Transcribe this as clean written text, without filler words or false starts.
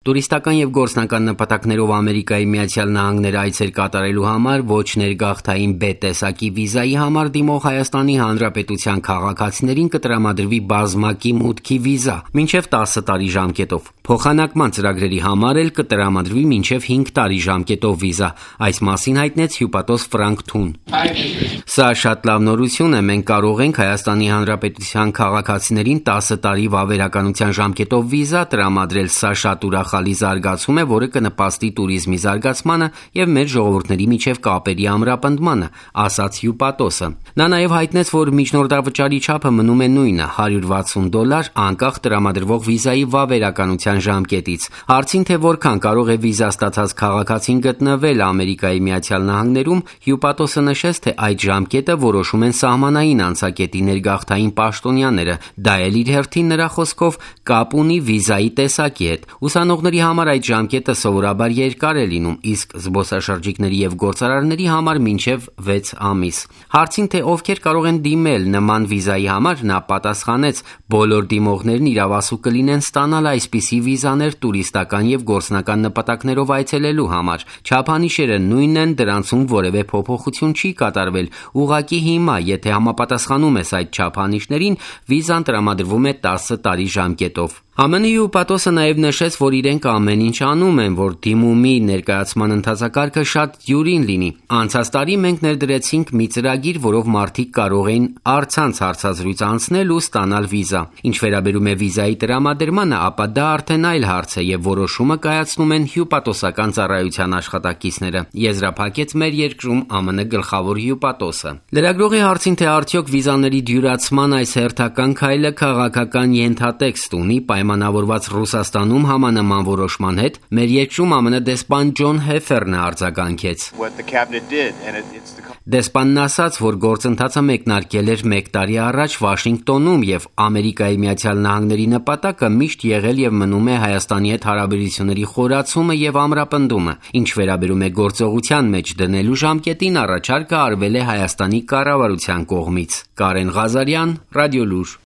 Տուրիստական և գործնական նպատակներով Ամերիկայի Միացյալ Նահանգներ այցեր կատարելու համար ոչ ներգաղթային B տեսակի վիզայի համար դիմող Հայաստանի Հանրապետության քաղաքացիներին կտրամադրվի բազմակի մուտքի վիզա մինչև 10 տարի ժամկետով։ Փոխանակման ծրագրերի համար էլ կտրամադրվի մինչև 5 տարի ժամկետով վիզա, այս մասին հայտնեց հյուպատոս Ֆրանկ Թուն։ Սա շատ լավ նորություն է, մենք կարող ենք Հայաստանի Հանրապետության քաղաքացիներին 10 տարի վավերականության ժամկետով վիզա տրամադրել, սա շատ ուրախալի զարգացում է, որը կնպաստի տուրիզմի զարգացմանը և մեր ժողովուրդների միջև կապերի ամրապնդմանը, ասաց հյուպատոսը։ Նա նաև հայտնեց, որ միջնորդավճարի չափը մնում է նույնը՝ $160 անկախ տրամադրվող վիզայի վավերականության ժամկետից։ Հարցին, թե որքան կարող է վիզա ստացած քաղաքացին գտնվել Ամերիկայի Միացյալ Նահանգներում, հյուպատոսը նշեց, թե այդ ժամկետը որոշում են սահմանային անցակետի ներգաղթային պաշտոնյաները, դա էլ իր հերթին նրա խոսքով կապ ունի վիզայի տեսակի հետ։ Ուսանողների համար այդ ժամկետը սովորաբար երկար է լինում, իսկ զբոսաշրջիկների և գործարարների համար մինչև 6 ամիս։ Հարցին, թե ովքեր կարող են դիմել նման վիզայի համար, նա պատասխանեց. բոլոր դիմողներն իրավասու կլինեն ստանալ այսպիսի վիզաներ տուրիստական և գործնական նպատակներով այցելելու համար։ Չափանիշերը նույնն են, դրանցում որևէ փոփոխություն չի կատարվել, ուղղակի հիմա, եթե համապատասխանում ես այդ չափանիշներին, վիզան տրամադրվում է 10 տարի ժամկետով։ ԱՄՆ-ի հյուպատոսը նաև նշեց, որ իրենք ամեն ինչ անում են, որ դիմումի ներկայացման ընթացակարգը շատ դյուրին լինի։ Անցած տարի մենք ներդրեցինք մի ծրագիր, որով մարդիկ կարող էին առցանց հարցազրույց անցնել ու ստանալ վիզա։ Ինչ վերաբերում է վիզայի տրամադրմանը, ապա դա արդեն այլ հարց է և որոշումը կայացնում են հյուպատոսական ծառայության աշխատակիցները, եզրափակեց մեր երկրում ԱՄՆ գլխավոր հյուպատոսը։ Լրագրողի հարցին, թե արդյոք վիզաների դյուրացման այս հերթական քայլը քաղաքական ենթատեքստ ունի պայմանավորված Ռուսաստանում համանման որոշման հետ, մեր երկրում ԱՄՆ դեսպան Ջոն Հեֆերն արձագանքեց։ Դեսպանն ասաց, որ գործընթացը մեկնարկել էր 1 տարի առաջ Վաշինգտոնում և Ամերիկայի Միացյալ Նահանգների նպատակը միշտ եղել և մնում է Հայաստանի հետ հարաբերությունների խորացումը և ամրապնդումը։ Ինչ վերաբերում է գործողության մեջ դնելու ժամկետին, առաջարկը արվել է Հայաստանի կառավարության կողմից։ Կարեն Ղազարյան, Ռադիոլուր։